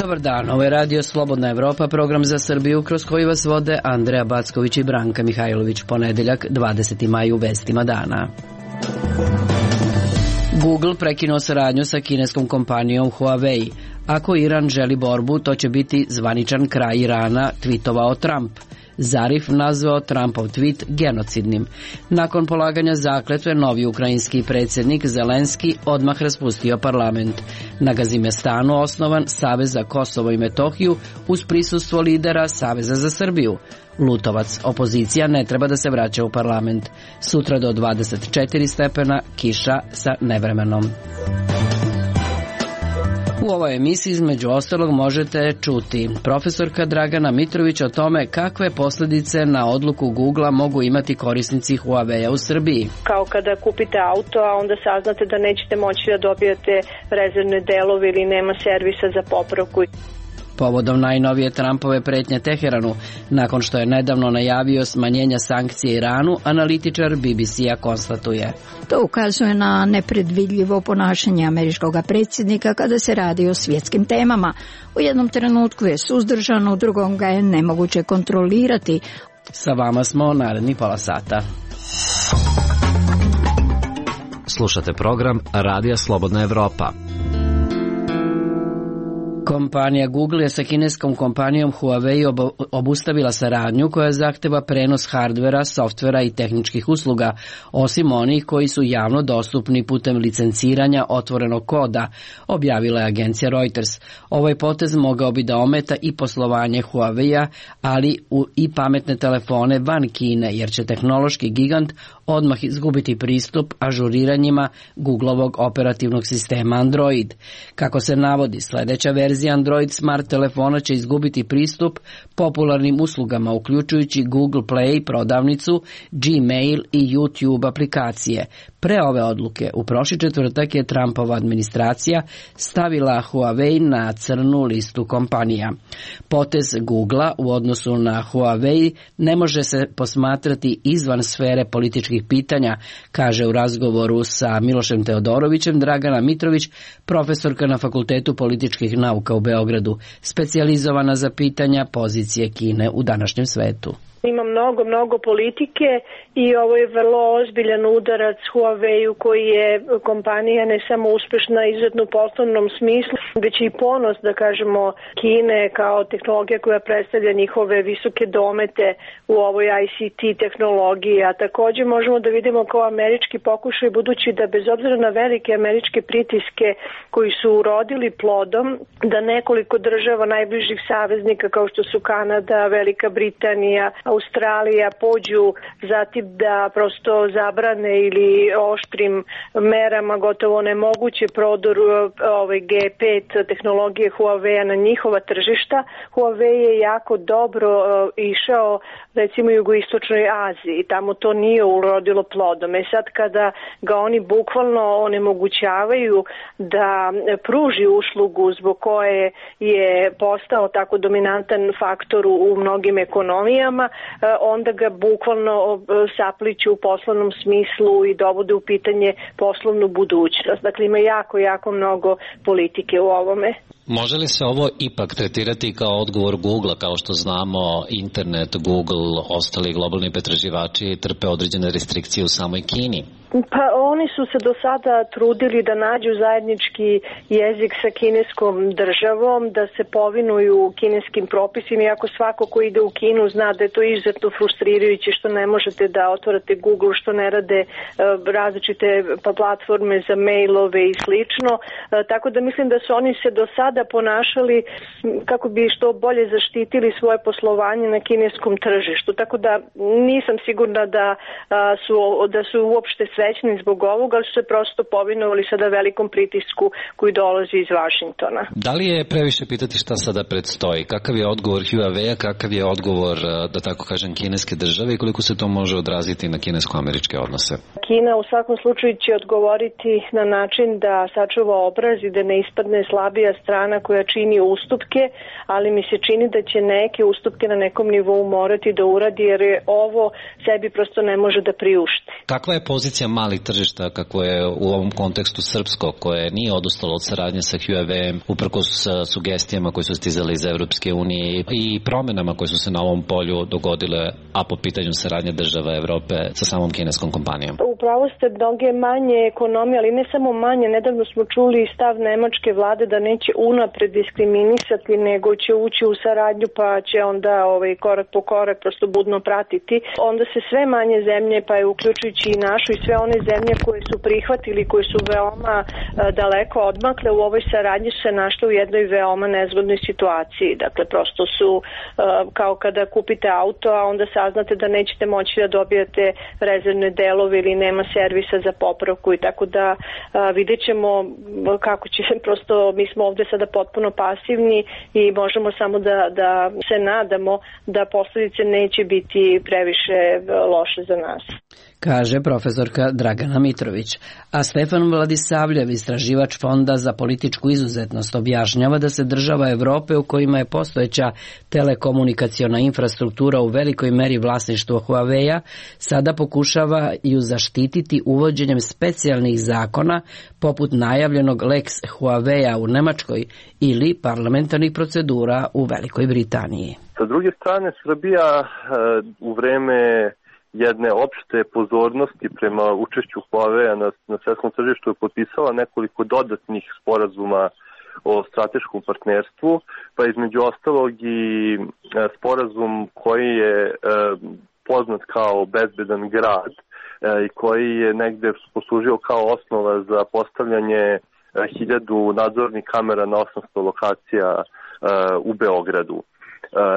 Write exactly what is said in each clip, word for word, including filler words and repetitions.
Dobar dan, ovo je Radio Slobodna Evropa, program za Srbiju kroz koji vas vode Andreja Backović i Branka Mihajlović. Ponedeljak, dvadeseti maj, u vestima dana. Google prekinuo saradnju sa kineskom kompanijom Huawei. Ako Iran želi borbu, to će biti zvaničan kraj Irana, tvitovao Trump. Zarif nazvao Trumpov tweet genocidnim. Nakon polaganja zakletve, novi ukrajinski predsjednik Zelenski odmah raspustio parlament. Na Gazimestanu osnovan Savez za Kosovo i Metohiju uz prisustvo lidera Saveza za Srbiju. Lutovac, opozicija ne treba da se vraća u parlament. Sutra do dvadeset četiri stepena, kiša sa nevremenom. U ovoj emisiji između ostalog možete čuti profesorka Dragana Mitrović o tome kakve posljedice na odluku Googlea mogu imati korisnici Huawei u Srbiji. Kao kada kupite auto, a onda saznate da nećete moći da dobijete rezervne delove ili nema servisa za popravku. Povodom najnovije Trumpove pretnje Teheranu, nakon što je nedavno najavio smanjenja sankcije Iranu, analitičar B B C-a konstatuje. To ukazuje na nepredvidljivo ponašanje američkog predsjednika kada se radi o svjetskim temama. U jednom trenutku je suzdržan, u drugom ga je nemoguće kontrolirati. Sa vama smo naredni pola sata. Slušate program Radija Slobodna Evropa. Kompanija Google je sa kineskom kompanijom Huawei obustavila saradnju koja zahteva prenos hardvera, softvera i tehničkih usluga, osim onih koji su javno dostupni putem licenciranja otvorenog koda, objavila je agencija Reuters. Ovaj potez mogao bi da ometa i poslovanje Huawei-a, ali i pametne telefone van Kine, jer će tehnološki gigant odmah izgubiti pristup ažuriranjima Googlovog operativnog sistema Android. Kako se navodi, sljedeća verzija Android smart telefona će izgubiti pristup popularnim uslugama, uključujući Google Play prodavnicu, Gmail i YouTube aplikacije. Pre ove odluke, u prošli četvrtak je Trumpova administracija stavila Huawei na crnu listu kompanija. Potez Googlea u odnosu na Huawei ne može se posmatrati izvan sfere političkih pitanja, kaže u razgovoru sa Milošem Teodorovićem Dragana Mitrović, profesorka na Fakultetu političkih nauka u Beogradu, specijalizovana za pitanja pozicije Kine u današnjem svetu. Ima mnogo, mnogo politike i ovo je vrlo ozbiljan udarac Huawei-u koji je kompanija ne samo uspešna izuzetno u poslovnom smislu, već i ponos, da kažemo, Kine kao tehnologija koja predstavlja njihove visoke domete u ovoj I C T tehnologiji, a također možemo da vidimo kao američki pokušaj, budući da bez obzira na velike američke pritiske koji su urodili plodom, da nekoliko država najbližih saveznika kao što su Kanada, Velika Britanija, Australija pođu zatim da prosto zabrane ili oštrim merama gotovo nemoguće prodor ovaj G pet tehnologije Huawei na njihova tržišta. Huawei je jako dobro uh, išao recimo u jugoistočnoj Aziji i tamo to nije urodilo plodom. E sad kada ga oni bukvalno onemogućavaju da pruži uslugu zbog koje je postao tako dominantan faktor u mnogim ekonomijama, onda ga bukvalno sapliću u poslovnom smislu i dovode u pitanje poslovnu budućnost. Dakle, ima jako, jako mnogo politike u ovome. Može li se ovo ipak tretirati kao odgovor Googlea, kao što znamo internet, Google, ostali globalni pretraživači trpe određene restrikcije u samoj Kini? Pa oni su se do sada trudili da nađu zajednički jezik sa kineskom državom, da se povinuju kineskim propisima, iako svako ko ide u Kinu zna da je to izuzetno frustrirajuće što ne možete da otvorate Google, što ne rade uh, različite platforme za mailove i slično. Uh, tako da mislim da su oni se do sada ponašali kako bi što bolje zaštitili svoje poslovanje na kineskom tržištu. Tako da nisam sigurna da, uh, su, da su uopšte srećni zbog ovoga, ali su se prosto povinovali sada velikom pritisku koji dolazi iz Vašingtona. Da li je previše pitati šta sada predstoji? Kakav je odgovor Huawei-a, kakav je odgovor, da tako kažem, kineske države i koliko se to može odraziti na kinesko-američke odnose? Kina u svakom slučaju će odgovoriti na način da sačuva obraz i da ne ispadne slabija strana koja čini ustupke, ali mi se čini da će neke ustupke na nekom nivou morati da uradi, jer je ovo sebi prosto ne može da priušti. Kakva je pozicija situacija malih tržišta kako je u ovom kontekstu srpsko, koje nije odustalo od saradnje sa Huawei, uprkos sugestijama koje su stizali iz Evropske unije i promenama koje su se na ovom polju dogodile, a po pitanju saradnje država Evrope sa samom kineskom kompanijom? Upravo ste mnoge manje ekonomije, ali ne samo manje. Nedavno smo čuli stav nemačke vlade da neće unapred diskriminisati, nego će ući u saradnju, pa će onda ovaj, korak po korak prosto budno pratiti. Onda se sve manje zemlje, pa je uključujući i našu i sve one zemlje koje su prihvatili, koje su veoma a, daleko odmakle u ovoj saradnji, se našle u jednoj veoma nezgodnoj situaciji. Dakle, prosto su a, kao kada kupite auto, a onda saznate da nećete moći da dobijete rezervne delove ili nema servisa za popravku, i tako da a, vidjet ćemo kako će, prosto mi smo ovde sada potpuno pasivni i možemo samo da, da se nadamo da posledice neće biti previše loše za nas. Kaže profesorka Dragana Mitrović. A Stefan Vladisavljev, istraživač Fonda za političku izuzetnost, objašnjava da se država Evrope u kojima je postojeća telekomunikaciona infrastruktura u velikoj meri vlasništvo Huawei-a sada pokušavaju zaštititi uvođenjem specijalnih zakona poput najavljenog Lex Huawei-a u Nemačkoj ili parlamentarnih procedura u Velikoj Britaniji. Sa druge strane, Srbija u vreme jedne opšte pozornosti prema učešću Huawei-a na, na svetskom tržištu je potpisala nekoliko dodatnih sporazuma o strateškom partnerstvu, pa između ostalog i e, sporazum koji je e, poznat kao bezbedan grad e, i koji je negde poslužio kao osnova za postavljanje e, hiljadu nadzornih kamera na osamsto lokacija e, u Beogradu.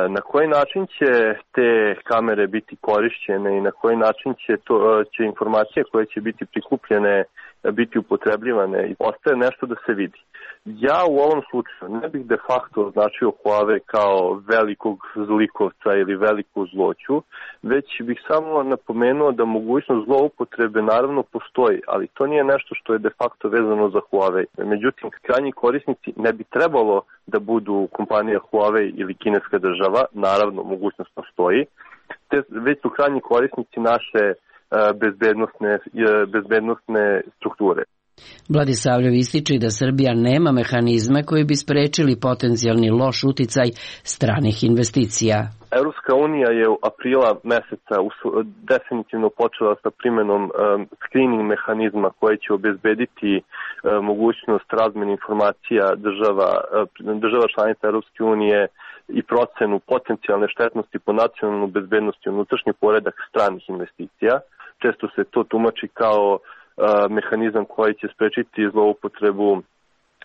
Na koji način će te kamere biti korišćene i na koji način će, to, će informacije koje će biti prikupljene biti upotrebljivane i ostaje nešto da se vidi. Ja u ovom slučaju ne bih de facto označio Huawei kao velikog zlikovca ili veliku zloću, već bih samo napomenuo da mogućnost zloupotrebe naravno postoji, ali to nije nešto što je de facto vezano za Huawei. Međutim, krajnji korisnici ne bi trebalo da budu kompanija Huawei ili kineska država, naravno mogućnost postoji, te već su krajnji korisnici naše bezbednosne, bezbednosne strukture. Vladisavljev ističe da Srbija nema mehanizme koji bi sprečili potencijalni loš uticaj stranih investicija. Europska unija je u aprila meseca definitivno počela sa primenom um, screening mehanizma koji će obezbediti um, mogućnost razmene informacija država, um, država članica Europske unije i procenu potencijalne štetnosti po nacionalnu bezbednost i unutrašnji poredak stranih investicija. Često se to tumači kao mehanizam koji će sprečiti zloupotrebu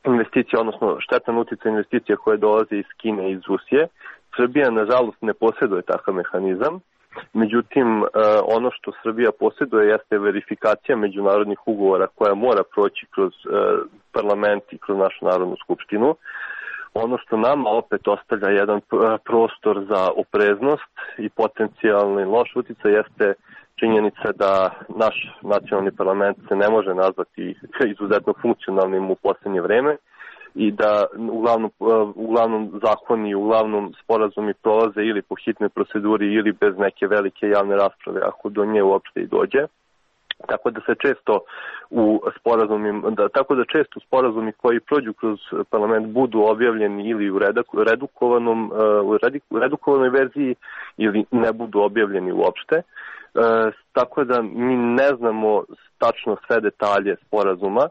investicija, odnosno štetan utjecaj investicija koje dolaze iz Kine i iz Rusije. Srbija, nažalost, ne posjeduje takav mehanizam. Međutim, ono što Srbija posjeduje jeste verifikacija međunarodnih ugovora koja mora proći kroz parlament i kroz našu Narodnu skupštinu. Ono što nama opet ostavlja jedan prostor za opreznost i potencijalni loš utjecaj jeste činjenica da naš nacionalni parlament se ne može nazvati izuzetno funkcionalnim u posljednje vreme i da uglavnom, uglavnom zakoni, uglavnom sporazumi prolaze ili po hitnoj proceduri ili bez neke velike javne rasprave, ako do nje uopšte i dođe. Tako da se često u sporazumima, da, tako da često sporazumi koji prođu kroz parlament budu objavljeni ili u redukovanom, u redukovanoj verziji ili ne budu objavljeni uopšte. E, tako da mi ne znamo tačno sve detalje sporazuma.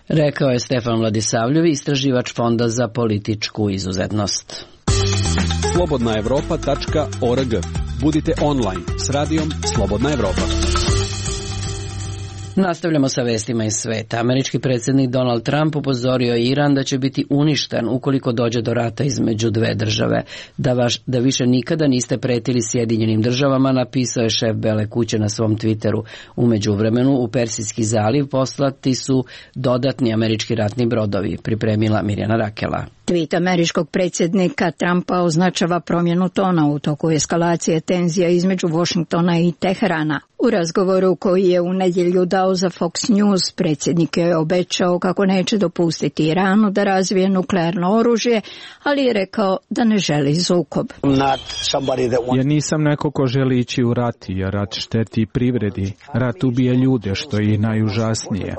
Rekao je Stefan Vladisavljev, istraživač Fonda za političku izuzetnost. slobodna evropa tačka org. Budite online s radijom Slobodna Evropa. Nastavljamo sa vestima iz sveta. Američki predsjednik Donald Trump upozorio je Iran da će biti uništen ukoliko dođe do rata između dve države. Da, vaš, da više nikada niste pretili Sjedinjenim državama, napisao je šef Bele kuće na svom Twitteru. U međuvremenu u Persijski zaliv poslati su dodatni američki ratni brodovi, pripremila Mirjana Rakela. Tweet američkog predsjednika Trumpa označava promjenu tona u toku eskalacije tenzija između Washingtona i Teherana. U razgovoru koji je u nedjelju dao za Fox News, predsjednik je obećao kako neće dopustiti Iranu da razvije nuklearno oružje, ali je rekao da ne želi sukob. Ja nisam neko ko želi ići u rat, jer rat šteti privredi. Rat ubija ljude, što je i najužasnije.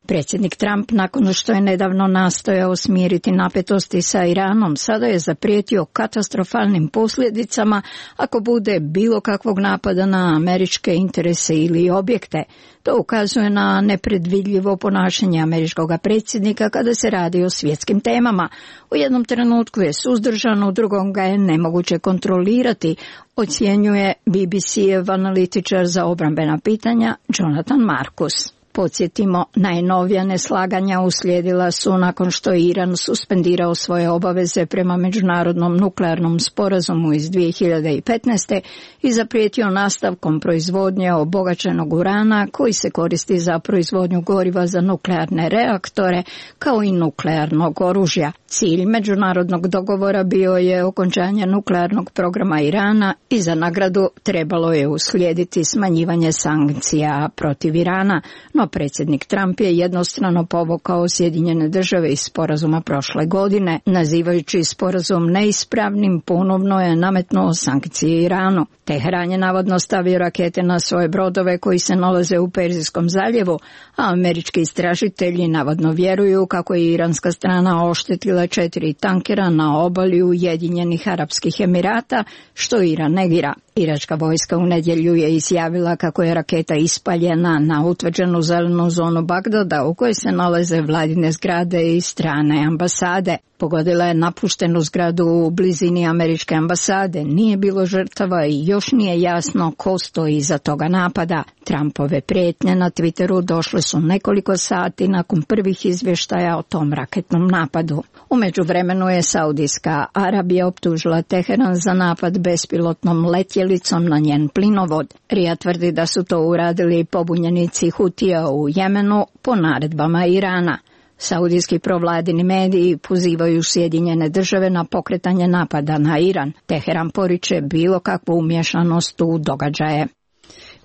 Predsjednik Trump, nakon što je nedavno nastojao smiriti napetosti sa Iranom, sada je zaprijetio katastrofalnim posljedicama ako bude bilo kakvog napada na američke interese ili objekte. To ukazuje na nepredvidljivo ponašanje američkog predsjednika kada se radi o svjetskim temama. U jednom trenutku je suzdržan, u drugom ga je nemoguće kontrolirati, ocjenjuje B B C-ev analitičar za obrambena pitanja Jonathan Marcus. Podsjetimo, najnovija neslaganja uslijedila su nakon što je Iran suspendirao svoje obaveze prema Međunarodnom nuklearnom sporazumu iz dvije hiljade petnaeste. i zaprijetio nastavkom proizvodnje obogaćenog urana koji se koristi za proizvodnju goriva za nuklearne reaktore kao i nuklearnog oružja. Cilj međunarodnog dogovora bio je okončanje nuklearnog programa Irana i za nagradu trebalo je uslijediti smanjivanje sankcija protiv Irana, no predsjednik Trump je jednostrano povukao Sjedinjene države iz sporazuma prošle godine. Nazivajući sporazum neispravnim, ponovno je nametnuo sankcije Iranu. Teheran je navodno stavio rakete na svoje brodove koji se nalaze u Perzijskom zaljevu, a američki istražitelji navodno vjeruju kako je iranska strana oštetila četiri tankera na obali Ujedinjenih Arapskih Emirata, što Iran negira. Iračka vojska u nedjelju je izjavila kako je raketa ispaljena na utvrđenu zelenu zonu Bagdada u kojoj se nalaze vladine zgrade i strane ambasade. Pogodila je napuštenu zgradu u blizini američke ambasade. Nije bilo žrtava i još nije jasno ko stoji iza toga napada. Trumpove prijetnje na Twitteru došle su nekoliko sati nakon prvih izvještaja o tom raketnom napadu. U međuvremenu je Saudijska Arabija optužila Teheran za napad bespilotnom letjelicom na njen plinovod. Rija tvrdi da su to uradili pobunjenici Hutija u Jemenu po naredbama Irana. Saudijski provladini mediji pozivaju Sjedinjene države na pokretanje napada na Iran. Teheran poriče bilo kakvu umješanost u događaje.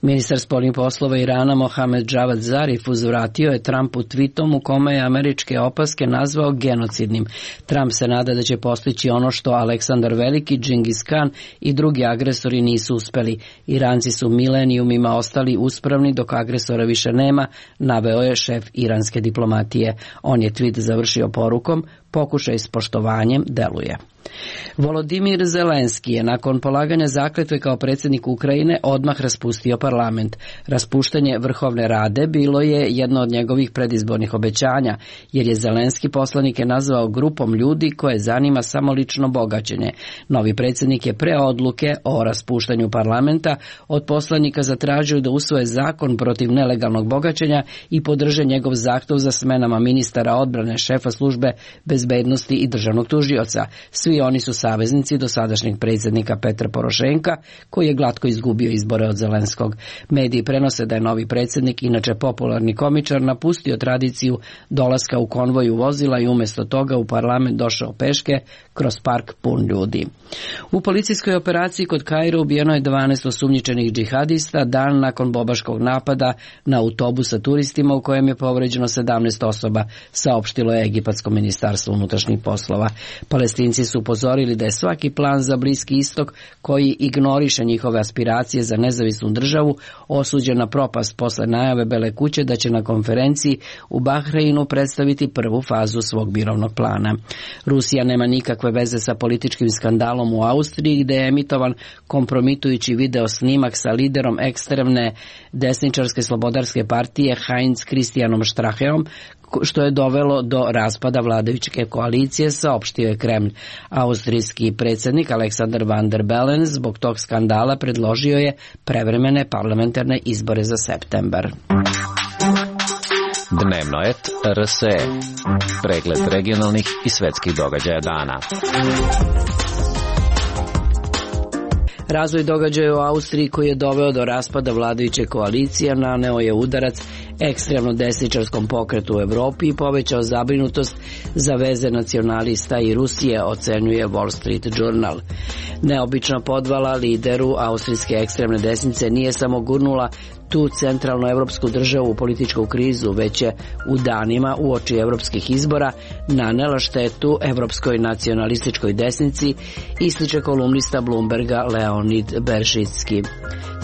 Ministar spoljnih poslova Irana Mohamed Javad Zarif uzvratio je Trumpu tweetom u kome je američke opaske nazvao genocidnim. Trump se nada da će postići ono što Aleksandar Veliki, Džingis Khan i drugi agresori nisu uspeli. Iranci su milenijumima ostali uspravni dok agresora više nema, naveo je šef iranske diplomatije. On je tweet završio porukom: pokušaj s poštovanjem deluje. Volodimir Zelenski je nakon polaganja zakletve kao predsjednik Ukrajine odmah raspustio parlament. Raspuštanje Vrhovne rade bilo je jedno od njegovih predizbornih obećanja, jer je Zelenski poslanike nazvao grupom ljudi koje zanima samo lično bogaćenje. Novi predsjednik je pre odluke o raspuštanju parlamenta od poslanika zatražio da usvoje zakon protiv nelegalnog bogaćenja i podrže njegov zahtjev za smenama ministara odbrane, šefa službe bezbednosti i državnog tužioca. Svi oni su saveznici dosadašnjeg predsjednika Petra Porošenka, koji je glatko izgubio izbore od Zelenskog. Mediji prenose da je novi predsjednik, inače popularni komičar, napustio tradiciju dolaska u konvoju vozila i umjesto toga u parlament došao peške kroz park pun ljudi. U policijskoj operaciji kod Kaira ubijeno je dvanaest osumnjičenih džihadista dan nakon bobaškog napada na autobus sa turistima u kojem je povređeno sedamnaest osoba, saopštilo je Egipatsko ministarstvo unutrašnjih poslova. Palestinci su upozorili da je svaki plan za Bliski istok koji ignoriše njihove aspiracije za nezavisnu državu osuđen na propast posle najave Bele kuće da će na konferenciji u Bahreinu predstaviti prvu fazu svog mirovnog plana. Rusija nema nikakve veze sa političkim skandalom u Austriji gdje je emitovan kompromitujući video snimak sa liderom ekstremne desničarske slobodarske partije Heinz Christianom Stracheom, što je dovelo do raspada vladajuće koalicije, saopštio je Kremlj. Austrijski predsjednik Aleksandar Van der Bellen zbog tog skandala predložio je prevremene parlamentarne izbore za septembar. Dnevnoet R S E. Pregled regionalnih i svetskih događaja dana. Razvoj događaja u Austriji koji je doveo do raspada vladajuće koalicije naneo je udarac ekstremno desničarskom pokretu u Evropi i povećao zabrinutost za veze nacionalista i Rusije, ocenjuje Wall Street Journal. Neobična podvala lideru austrijske ekstremne desnice nije samo gurnula tu centralnu evropsku državu u političku krizu, već je u danima uoči evropskih izbora nanela štetu evropskoj nacionalističkoj desnici, ističe kolumnista Bloomberga Leonid Beršicki.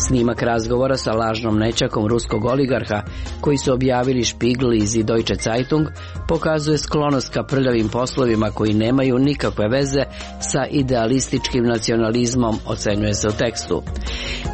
Snimak razgovora sa lažnom nećakom ruskog oligarha, koji su objavili Spiegel i Süddeutsche Zeitung, pokazuje sklonost ka prljavim poslovima koji nemaju nikakve veze sa idealističkim nacionalizmom, ocenjuje se u tekstu.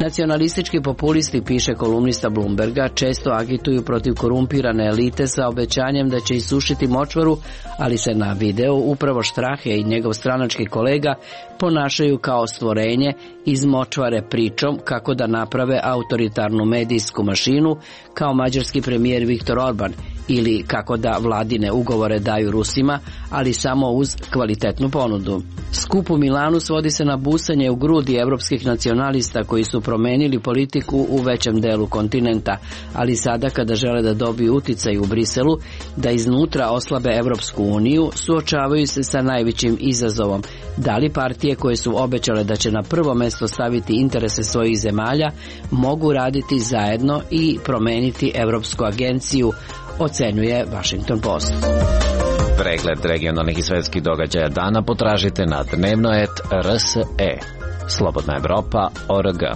Nacionalistički populisti, piše kolumnista Bloomberga, često agituju protiv korumpirane elite sa obećanjem da će isušiti močvaru, ali se na videu upravo Strahe i njegov stranački kolega ponašaju kao stvorenje iz močvare pričom kako da naprave autoritarnu medijsku mašinu kao mađarski premijer Viktor Orban ili kako da vladine ugovore daju Rusima, ali samo uz kvalitetnu ponudu. Skup u Milanu svodi se na busanje u grudi evropskih nacionalista koji su promenili politiku u većem delu kontinenta, ali sada kada žele da dobiju uticaj u Briselu, da iznutra oslabe Evropsku uniju, suočavaju se sa najvećim izazovom. Da li partije koje su obećale da će na prvo mesto staviti interese svojih zemalja mogu raditi zajedno i promeniti Evropsku agenciju, ocenjuje Washington Post. Pregled regionalnih i svetskih događaja dana potražite na dnevnoet R S E. Slobodna Evropa O R G.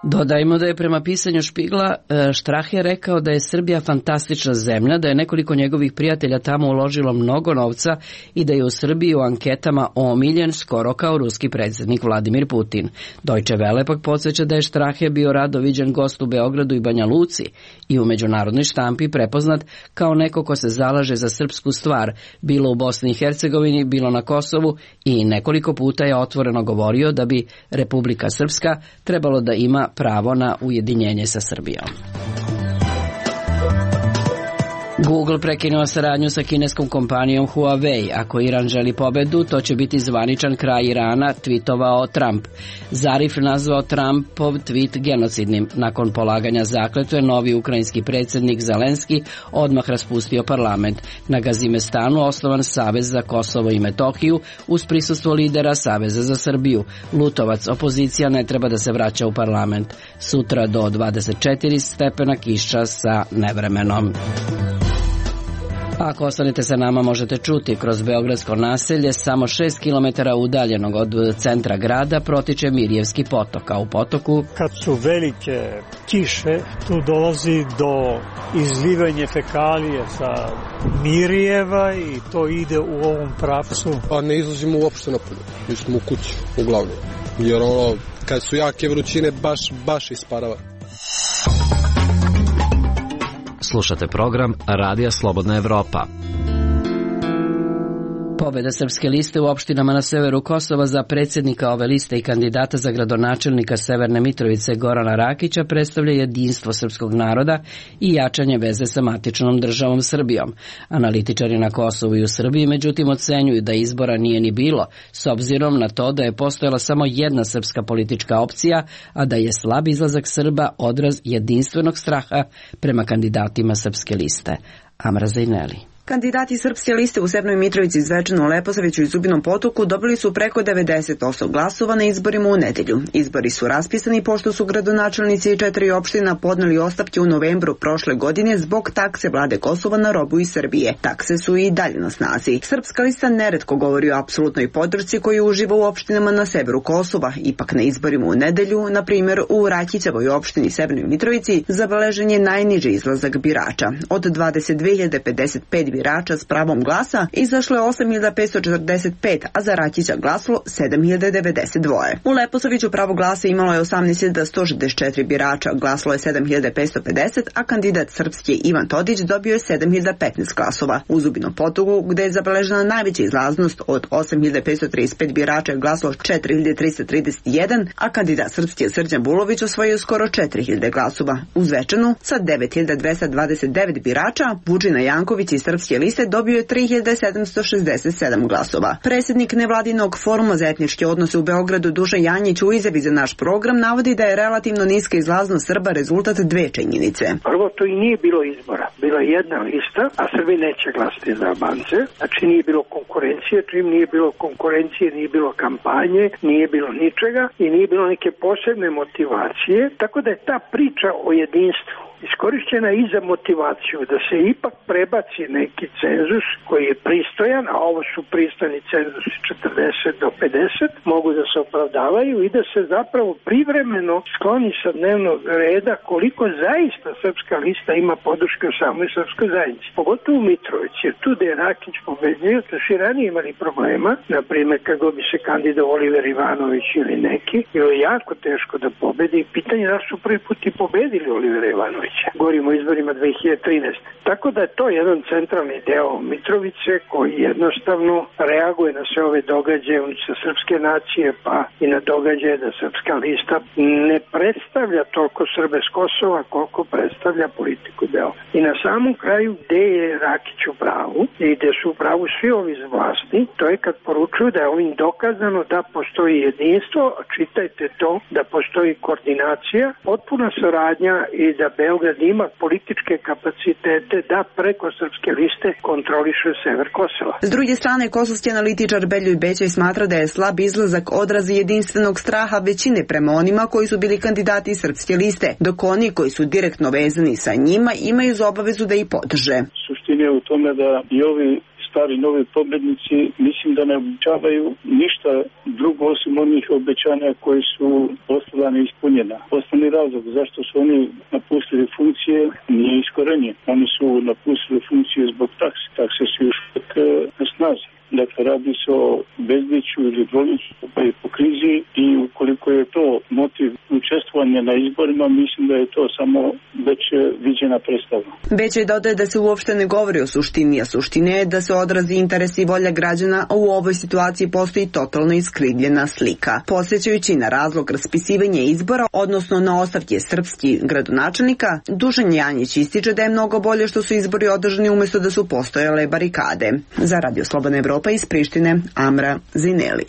Dodajmo da je prema pisanju Špigla Strahe rekao da je Srbija fantastična zemlja, da je nekoliko njegovih prijatelja tamo uložilo mnogo novca i da je u Srbiji u anketama omiljen skoro kao ruski predsjednik Vladimir Putin. Deutsche Welle pak podsjeća da je Strahe bio rado viđen gost u Beogradu i Banja Luci i u međunarodnoj štampi prepoznat kao neko ko se zalaže za srpsku stvar, bilo u Bosni i Hercegovini, bilo na Kosovu, i nekoliko puta je otvoreno govorio da bi Republika Srpska trebalo da ima pravo na ujedinjenje sa Srbijom. Google prekinuo saradnju sa kineskom kompanijom Huawei. Ako Iran želi pobedu, to će biti zvaničan kraj Irana, tvitovao Trump. Zarif nazvao Trumpov tvit genocidnim. Nakon polaganja zakletve, novi ukrajinski predsjednik Zelenski odmah raspustio parlament. Na Gazimestanu osnovan Savez za Kosovo i Metohiju uz prisustvo lidera Saveza za Srbiju. Lutovac, opozicija ne treba da se vraća u parlament. Sutra do dvadeset četiri stepena kiša sa nevremenom. Ako ostanete sa nama, možete čuti kroz beogradsko naselje, samo šest kilometara udaljenog od centra grada, protiče Mirjevski potok, a u potoku, kad su velike kiše, tu dolazi do izlivanja fekalije sa Mirjeva i to ide u ovom pravcu. Pa ne izlazimo uopšte napolje, mi smo u kući, uglavnom, jer ono, kad su jake vrućine, baš, baš isparava. Slušate program Radija Slobodna Evropa. Pobeda Srpske liste u opštinama na severu Kosova za predsjednika ove liste i kandidata za gradonačelnika Severne Mitrovice Gorana Rakića predstavlja jedinstvo srpskog naroda i jačanje veze sa matičnom državom Srbijom. Analitičari na Kosovu i u Srbiji međutim ocenjuju da izbora nije ni bilo, s obzirom na to da je postojala samo jedna srpska politička opcija, a da je slab izlazak Srba odraz jedinstvenog straha prema kandidatima Srpske liste. Amra Zajneli. Kandidati Srpske liste u Severnoj Mitrovici, Zvečanu, Leposaviću i Zubinom Potoku dobili su preko devedeset posto glasova na izborima u nedelju. Izbori su raspisani pošto su gradonačelnici četiri opština podneli ostavke u novembru prošle godine zbog takse vlade Kosova na robu iz Srbije. Takse su i dalje na snazi. Srpska lista neretko govori o apsolutnoj podršci koju uživa u opštinama na severu Kosova. Ipak na izborima u nedelju, na primjer u Rakićevoj opštini Severnoj Mitrovici, zabeležen je najniži izlazak birača. Od dvadeset dve hiljade pedeset pet birača s pravom glasa izašlo je osam hiljada petsto četrdeset pet, a za Rakića glasalo sedam hiljada devedeset dva. U Leposaviću pravo glasa imalo je osamnaest hiljada sto šezdeset četiri birača, glasalo je sedam hiljada petsto pedeset, a kandidat Srpske Ivan Todić dobio je sedam hiljada petnaest glasova. U Zubinom Potoku, gde je zabeležena najveća izlaznost, od osam hiljada petsto trideset pet birača je glasalo četiri hiljade trista trideset jedan, a kandidat Srpske Srđan Bulović osvojio skoro četiri hiljade glasova. U Zvečanu, sa devet hiljada dvesta dvadeset devet birača, Vučina Janković iz Srpske Srpske liste dobio je tri hiljade sedamsto šezdeset sedam glasova. Predsjednik nevladinog foruma za etničke odnose u Beogradu Dušan Janjić u izjavi za naš program navodi da je relativno niska izlaznost Srba rezultat dve činjenice. Prvo, to i nije bilo izbora. Bila je jedna lista, a Srbi neće glasati za Albance. Znači nije bilo konkurencije, čim nije bilo konkurencije, nije bilo kampanje, nije bilo ničega i nije bilo neke posebne motivacije. Tako da je ta priča o jedinstvu iskorišćena i za motivaciju da se ipak prebaci neki cenzus koji je pristojan, a ovo su pristojni cenzusi četrdeset do pedeset, mogu da se opravdavaju i da se zapravo privremeno skloni sa dnevnog reda koliko zaista Srpska lista ima podrške u samoj srpskoj zajednici. Pogotovo u Mitrovici, jer tu da je Rakić pobedio, da su i ranije imali problema, na primjer kako bi se kandidao Oliver Ivanović ili neki, bilo je jako teško da pobedi i pitanje da su prvi put i pobedili Olivera Ivanovića. Govorimo o izborima dve hiljade trinaeste. Tako da je to jedan centralni deo Mitrovice koji jednostavno reaguje na sve ove događaje unutar srpske nacije, pa i na događaje da Srpska lista ne predstavlja toliko Srbe s Kosova koliko predstavlja politiku deo. I na samom kraju gde je Rakić u pravu i gde su u pravu svi ovi iz vlasti, to je kad poručuju da je ovim dokazano da postoji jedinstvo, čitajte to, da postoji koordinacija, potpuna saradnja i da Beograd ima političke kapacitete da preko Srpske liste kontroliše sever Kosova. S druge strane, kosovski analitičar Beljoj Bećaj smatra da je slab izlazak odraz jedinstvenog straha većine prema onima koji su bili kandidati Srpske liste, dok oni koji su direktno vezani sa njima imaju za obavezu da ih podrže. Suština je u tome da i ovi stari novi pobednici mislim da ne obećavaju ništa drugo osim onih obećanja koji su ostala neispunjena. Osnovni razlog zašto su oni napustili funkcije nije iskorenjen. Oni su napustili funkcije zbog takse. Takse su još uvijek na snazi. Dakle, radi se o bezliću ili dvoliću pa i po krizi i ukoliko je to motiv učestvovanja na izborima, mislim da je to samo već viđena predstava. Bećaj dodaje da se uopšte ne govori o suštini, a suština je da se odrazi interes i volja građana, a u ovoj situaciji postoji totalno iskrivljena slika. Posjećajući na razlog raspisivanja izbora, odnosno na ostavke srpskih gradonačelnika, Dušan Janjić ističe da je mnogo bolje što su izbori održani umjesto da su postojale barikade. Za Radio Slobodna Evropa iz Prištine, Amra Zineli.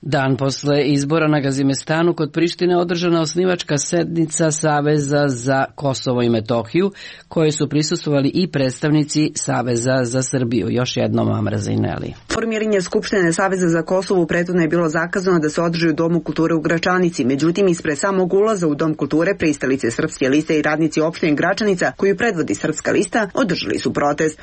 Dan posle izbora na Gazimestanu kod Prištine održana osnivačka sednica Saveza za Kosovo i Metohiju, koje su prisustvovali i predstavnici Saveza za Srbiju. Još jednom Amra Zineli. Formiranje Skupštine Saveza za Kosovo prethodno je bilo zakazano da se održi u Domu kulture u Gračanici, međutim ispred samog ulaza u Dom kulture pristalice Srpske liste i radnici opštine Gračanica, koju predvodi Srpska lista, održali su protest.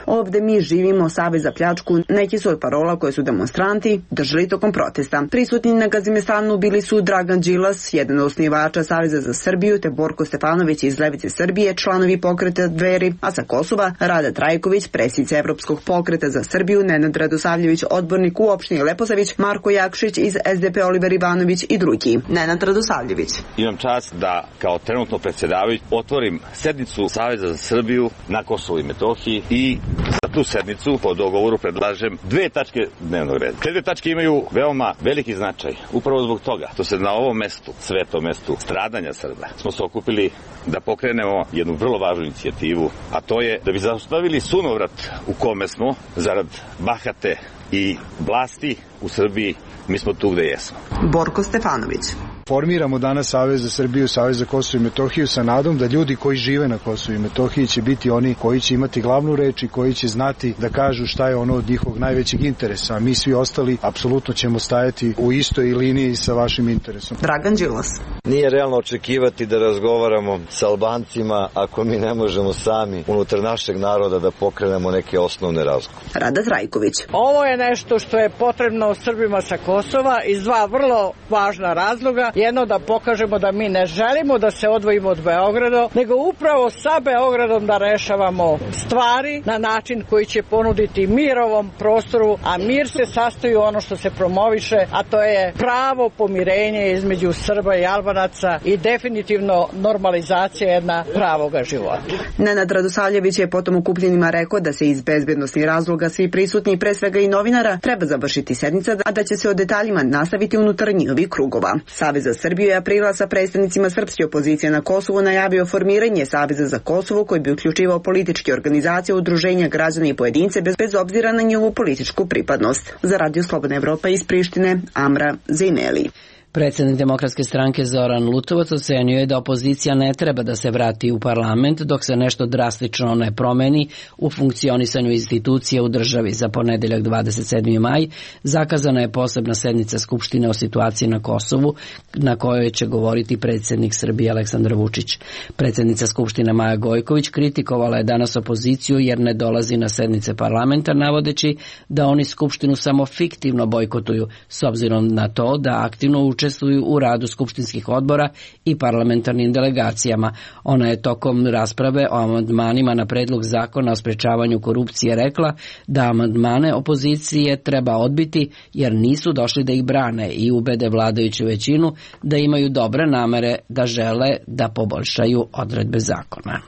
Ovde mi živimo, Savez za pljačku, neki su od parola koje su demonstranti držali tokom protesta. Prisutni na Gazimestanu bili su Dragan Đilas, jedan od osnivača Saveza za Srbiju, te Borko Stefanović iz Levice Srbije, članovi pokreta Dveri, a sa Kosova Rada Trajković, predsjednica Evropskog pokreta za Srbiju, Nenad Radosavljević, odbornik u opštini Leposavić, Marko Jakšić iz es de pe, Oliver Ivanović i drugi. Nenad Radosavljević. Imam čast da kao trenutno predsjedavajući otvorim sednicu Saveza za Srbiju na Kosovu i Metohiji i za tu sednicu po dogovoru predlažem dve tačke dnevnog reda. Te dve tačke imaju veoma veliki značaj. Upravo zbog toga što se na ovom mestu, svetom mestu stradanja Srba, smo se okupili da pokrenemo jednu vrlo važnu inicijativu, a to je da bi zaustavili sunovrat u kome smo zarad bahate i vlasti u Srbiji. Mi smo tu gde jesmo. Borko Stefanović. Formiramo danas Savez za Srbiju, Savez za Kosovo i Metohiju sa nadom da ljudi koji žive na Kosovu i Metohiji će biti oni koji će imati glavnu reč i koji će znati da kažu šta je ono od njihovog najvećeg interesa. A mi svi ostali apsolutno ćemo stajati u istoj liniji sa vašim interesom. Dragan Đilas. Nije realno očekivati da razgovaramo sa Albancima ako mi ne možemo sami unutar našeg naroda da pokrenemo neke osnovne razgovore. Rada Trajković. Ovo je nešto što je potrebno Srbima sa Kosova iz dva vrlo važna razloga. Jedno, da pokažemo da mi ne želimo da se odvojimo od Beograda, nego upravo sa Beogradom da rešavamo stvari na način koji će ponuditi mir ovom prostoru, a mir se sastoji u ono što se promoviše, a to je pravo pomirenje između Srba i Albanaca i definitivno normalizacija jedna pravoga života. Nenad Radosavljević je potom okupljenima rekao da se iz bezbednosnih razloga svi prisutni, pre svega i novinara, treba završiti sednica, a da će se o detaljima nastaviti unutar njihovih krugova. Savez za Srbiju je aprila sa predstavnicima srpske opozicije na Kosovu najavio formiranje Saveza za Kosovo koji bi uključivao političke organizacije, udruženja, građana i pojedince bez, bez obzira na njihovu političku pripadnost. Za Radio Slobodna Evropa iz Prištine, Amra Zejneli. Predsednik Demokratske stranke Zoran Lutovac ocenio je da opozicija ne treba da se vrati u parlament dok se nešto drastično ne promeni u funkcionisanju institucija u državi. Za ponedeljak dvadeset sedmi maj zakazana je posebna sednica Skupštine o situaciji na Kosovu na kojoj će govoriti predsednik Srbije Aleksandar Vučić. Predsednica Skupštine Maja Gojković kritikovala je danas opoziciju jer ne dolazi na sednice parlamenta navodeći da oni Skupštinu samo fiktivno bojkotuju s obzirom na to da aktivno učestvuju u radu skupštinskih odbora i parlamentarnim delegacijama. Ona je tokom rasprave o amandmanima na predlog zakona o sprečavanju korupcije rekla da amandmane opozicije treba odbiti jer nisu došli da ih brane i ubede vladajuću većinu da imaju dobre namere da žele da poboljšaju odredbe zakona.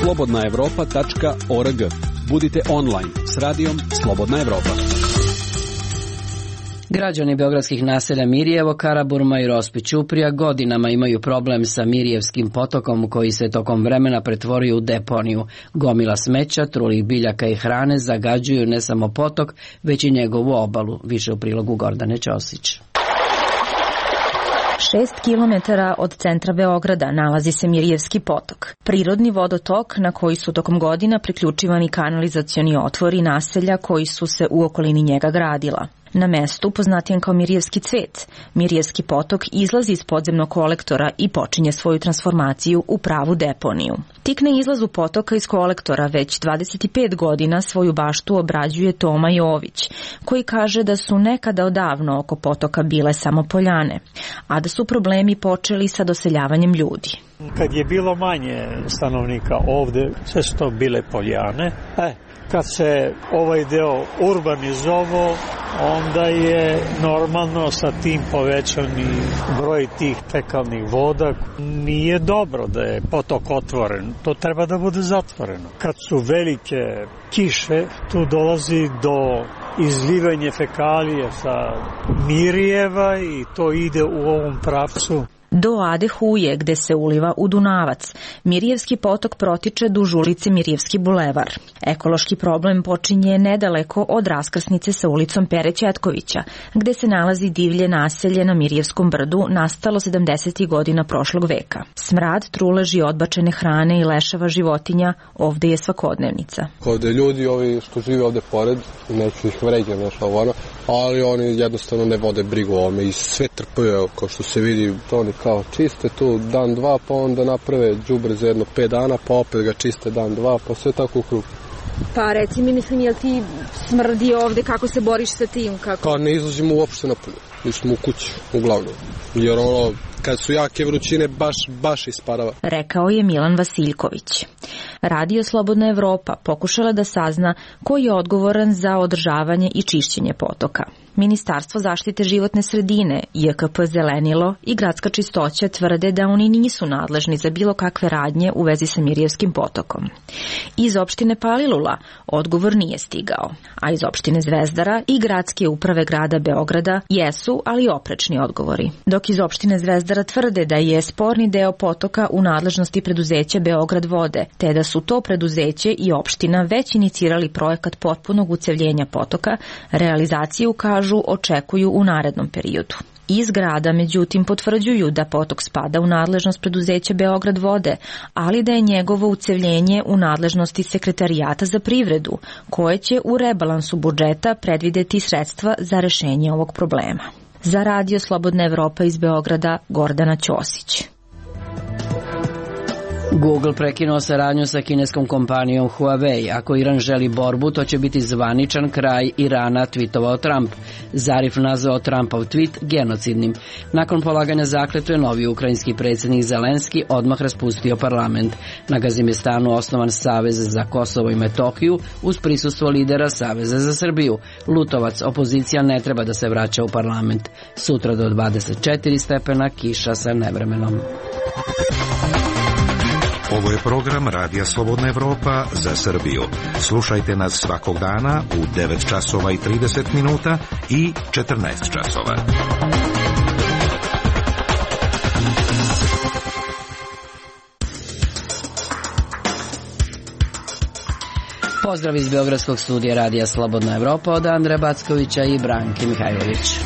slobodna evropa tačka org. Budite online s radijom Slobodna Evropa. Građani beogradskih naselja Mirjevo, Karaburma i Rospić Ćuprija godinama imaju problem sa Mirjevskim potokom koji se tokom vremena pretvorio u deponiju. Gomila smeća, trulih biljaka i hrane zagađuju ne samo potok, već i njegovu obalu. Više u prilogu Gordane Ćosić. Šest kilometara od centra Beograda nalazi se Mirjevski potok, prirodni vodotok na koji su tokom godina priključivani kanalizacioni otvori naselja koji su se u okolini njega gradila. Na mestu, poznatijem kao Mirjevski cvet, Mirjevski potok izlazi iz podzemnog kolektora i počinje svoju transformaciju u pravu deponiju. Tik na izlazu potoka iz kolektora već dvadeset pet godina svoju baštu obrađuje Toma Jović, koji kaže da su nekada odavno oko potoka bile samo poljane, a da su problemi počeli sa doseljavanjem ljudi. Kad je bilo manje stanovnika ovde, sve su to bile poljane. E, kad se ovaj deo urbanizovao, onda je normalno sa tim povećani broj tih fekalnih voda. Nije dobro da je potok otvoren, to treba da bude zatvoreno. Kad su velike kiše, tu dolazi do izlivanja fekalije sa Mirjeva i to ide u ovom pravcu. Do Ade Huje, gde se uliva u Dunavac, Mirjevski potok protiče duž ulice Mirjevski bulevar. Ekološki problem počinje nedaleko od raskrsnice sa ulicom Pere Ćetkovića, gde se nalazi divlje naselje na Mirjevskom brdu nastalo sedamdesetih godina prošlog veka. Smrad, truleži odbačene hrane i leševa životinja ovde je svakodnevnica. Ovde ljudi, ovi što žive ovde pored, neću ih vređam, nešto ono, ali oni jednostavno ne vode brigu o ovome i sve trpaju, kao što se vidi, oni kao čiste tu dan, dva, pa onda naprave đubre za jedno pet dana, pa opet ga čiste dan, dva, pa sve tako u krug. Pa reci mi, mislim, jel ti smrdi ovde, kako se boriš sa tim? Kako? Pa ne izlazimo uopšte napolje, mi smo u kući, uglavnom, jer ono, kad su jake vrućine, baš, baš isparava. Rekao je Milan Vasiljković. Radio Slobodna Evropa pokušala da sazna ko je odgovoran za održavanje i čišćenje potoka. Ministarstvo zaštite životne sredine, J K P Zelenilo i Gradska čistoća tvrde da oni nisu nadležni za bilo kakve radnje u vezi sa Mirjevskim potokom. Iz opštine Palilula odgovor nije stigao, a iz opštine Zvezdara i Gradske uprave grada Beograda jesu, ali oprečni odgovori. Dok iz opštine Zvezdara tvrde da je sporni deo potoka u nadležnosti preduzeća Beograd vode, te da su to preduzeće i opština već inicirali projekat potpunog ucevljenja potoka, realizaciju kažu očekuju u narednom periodu. Iz grada, međutim, potvrđuju da potok spada u nadležnost preduzeća Beograd vode, ali da je njegovo ucevljenje u nadležnosti Sekretarijata za privredu, koje će u rebalansu budžeta predvideti sredstva za rešenje ovog problema. Za Radio Slobodna Evropa iz Beograda, Gordana Ćosić. Google prekinuo saradnju sa kineskom kompanijom Huawei. Ako Iran želi borbu, to će biti zvaničan kraj Irana, tvitovao Trump. Zarif nazvao Trumpov tvit genocidnim. Nakon polaganja zakletve, novi ukrajinski predsjednik Zelenski odmah raspustio parlament. Na Gazimestanu osnovan Savez za Kosovo i Metohiju uz prisustvo lidera Saveza za Srbiju. Lutovac, opozicija ne treba da se vraća u parlament. Sutra do dvadeset četiri stepena, kiša sa nevremenom. Ovo je program Radija Slobodna Evropa za Srbiju. Slušajte nas svakog dana u devet časova i trideset minuta i četrnaest časova. Pozdrav iz Beogradskog studija Radija Slobodna Evropa od Andreja Backovića i Branke Mihajlović.